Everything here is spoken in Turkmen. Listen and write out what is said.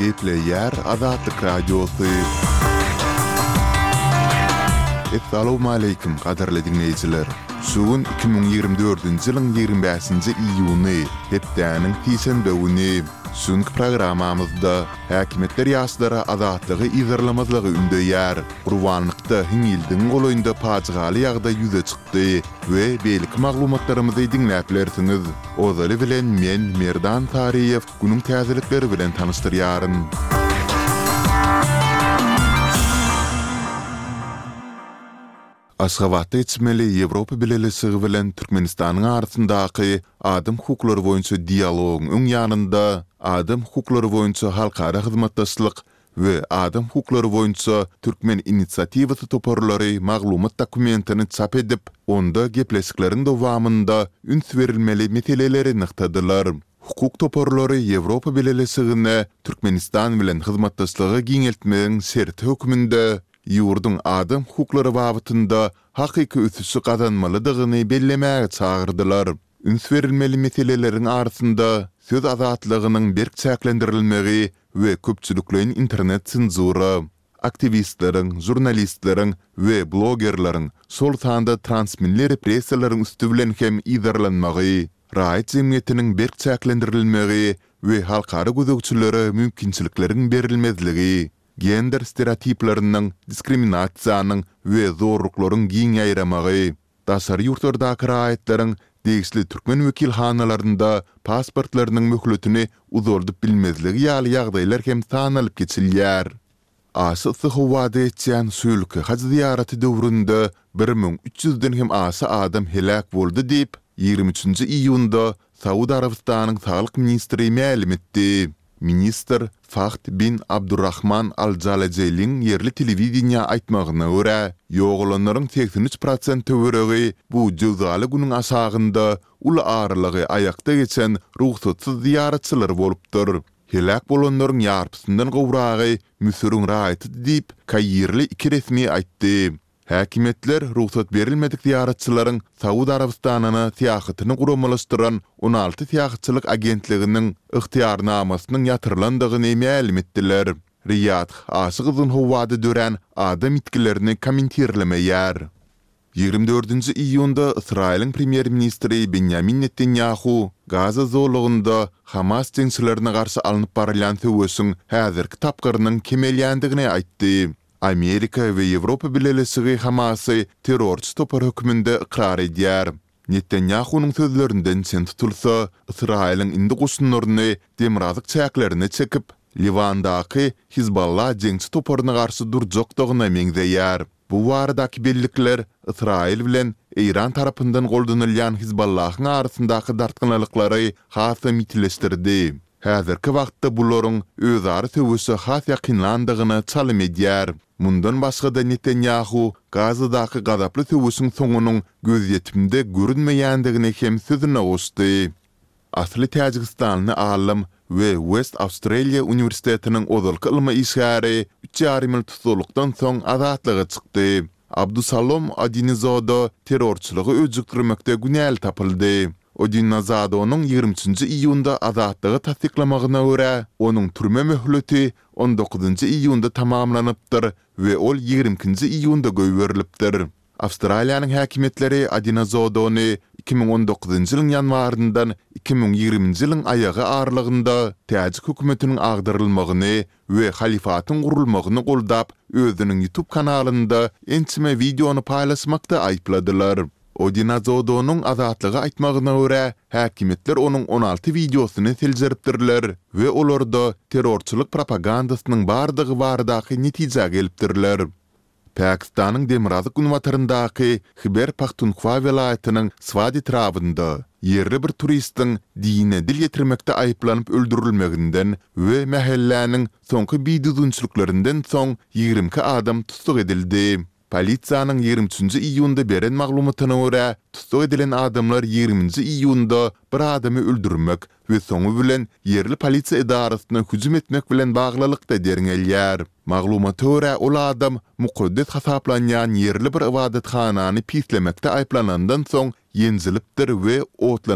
Gepleýär Azatlyk Radiosy. Essalawmaleýkim gadyrly diňleýjiler! Şu gün 2024-nji ýylyň 25-nji iýuny, hepdäniň sişenbe güni. Şu günki programmamyzda häkimiýetler ýaşlara azatlygy yzarlamazlygy ündeýär. Gurbanlykda hiňňildigiň golaýynda pajygaly ýagdaý ýüze çykdy we beýleki maglumatlarymyzy diňläp bilersiňiz. Ozaly bilen men, Merdan Saryýew, günüň täzelikleri bilen tanyşdyrýaryn. Aşgabatda geçmeli Ýewropa Bileleşigi bilen Türkmenistanyň arasyndaky adam hukuklary boýunça dialogyň öň ýanynda Adam hukuklary boýunça halkara hyzmatdaşlyk we Adam hukuklary boýunça türkmen inisiatiwasy toparlary maglumat dokumentini çap edip, onda gepleşikleriň dowamynda üns berilmeli meseleleri nygtadylar. Hukuk toparlary Ýewropa Bileleşigine Türkmenistan bilen hyzmatdaşlygy giňeltmegiň şerti hökmünde ýurduň adam hukuklary babatynda hakyky ösüşi gazanmalydygyny bellemäge çagyrdylar. Üns berilmeli meseleleriň arasynda söz azatlygynyň berk çäklendirilmegi we köpçülikleýin internet senzura, aktiwistleriň, žurnalistleriň we blogerleriň, şol sanda transmilli repressiýalaryň üsti bilen hem yzarlanmagy, raýat jemgyýetiniň berk çäklendirilmegi we halkara gözegçilere mümkinçilikleriň berilmezligi, gender stereotipleriniň, diskriminasiýanyň we zorluklaryň giň ýaýramagy, daşary ýurtlardaky raýatlaryň degişli türkmen wekilhanalarynda pasportlarynyň möhletini uzaldyp bilmezligi ýaly ýagdaýlar hem sanalyp geçilýär. Aşa yssy howada geçýän şu ýylky haj zyýaraty döwründe 1300 ýüzden hem aşa adam heläk boldy diýip, 23 nji iýunda Saud Arabystanyň saglyk ministri mälim etdi. Ministr Fahd bin Abdurrahman al-Jalajeliň ýerli telewideniýä aýtmagyna görä, ýogalanlaryň 83 prosent töweregi bu jöwzaly günüň aşagynda uly aralygy aýakda geçen rugsatsyz zyýaratçylar bolupdyr. Heläk bolanlaryň ýarpysyndan gowragy Müsüriň raýatydy diýip, kairli iki resmi aýtdy. Häkimiýetler rugsat berilmedik zyýaratçylaryň Saud Arabystanyna syýahatyny guramalaşdyran 16 syýahatçylyk agentliginiň ygtyýarnamasynyň ýatyrylandygyny mälim etdiler. Riýadh aşa gyzgyn howada dörän adam ýitgilerini kommentirlemeýär. Ýigrimi dördünji iýunda Ysraýylyň premýer-ministri Benýamin Netanýahu Gaza zolagynda Hamas jeňçilerine garşy alnyp barylýan söweşiň häzirki tapgyrynyň kemelýändigini aýtdy. Amerika we Ýewropa Bileleşigi Hamasy terrorçy topar hökmünde ykrar edýär. Netanýahunyň sözlerinden çen tutulsa, Ysraýylyň indi goşunlaryny demirgazyk çäklerine çekip, Liwandaky Hizballah jeňçi toparyna garşy durjakdygyna meňzeýär. Bu baradaky bellikler Ysraýyl bilen Eýran tarapyndan goldanylýan Hizballahyň arasyndaky dartgynlyklary hasam ýitileşdirdi. Häzirki wagtda bularyň özara söweşe has ýakynlandygyna çalym edýär. Mundan başga-da Netanýahu Gazadaky gazaply söweşiň soňunyň gözýetimde görünmeýändigini hem sözüne goşdy. Asly täjigistanly alym we West Australia uniwersitetiniň ozalky ylmy işgäri üç ýarym ýyl tussaglykdan soň azatlyga çykdy. Abdusalom Odinizoda terrorçylygy öjükdirmekde günäli tapyldy. Odinazadonyň 23-nji iýunda azatlyga tassyklamagyna görä, onuň türme möhleti on dokuzynjy iýunda tamamlanypdyr we ol 22-nji iýunda goýberilipdir. Awstraliýanyň häkimiýetleri Odinazodony 2019-njy ýylyň ýanwaryndan 2020-nji ýylyň aýagy aralygynda täjik hökümetiniň agdarylmagyny we halyfatyň gurulmagyny goldap, özüniň YouTube kanalynda ençeme wideony paýlaşmakda aýypladylar. Odinazodonyň Azatlyga aýtmagyna görä, häkimiýetler onuň 16 wideosyny seljeripdirler we olarda terrorçylyk propagandasynyň bardygy baradaky netijä gelipdirler. Pakistanyň demirgazyk-günbataryndaky Hiber-Pahtunhwa welaýatynyň Swat etrabynda ýerli bir turistiň dine dil ýetirmekde aýyplanyp öldürilmeginden we mähelläniň soňky bidüzgünçiliklerinden soň 22 adam tussag edildi. Polisiýanyň 23-nji iýunda beren maglumatyna görä, tussag edilen adamlar 20-nji iýunda bir adamy öldürmek we soňy bilen ýerli polisiýa edarasyna hüjüm etmek bilen baglylykda derňelýär. Maglumata görä, ol adam mukaddes hasaplanýan ýerli bir ybadathanany pislemekde aýyplanandan soň ýenjilipdir we otlanypdyr.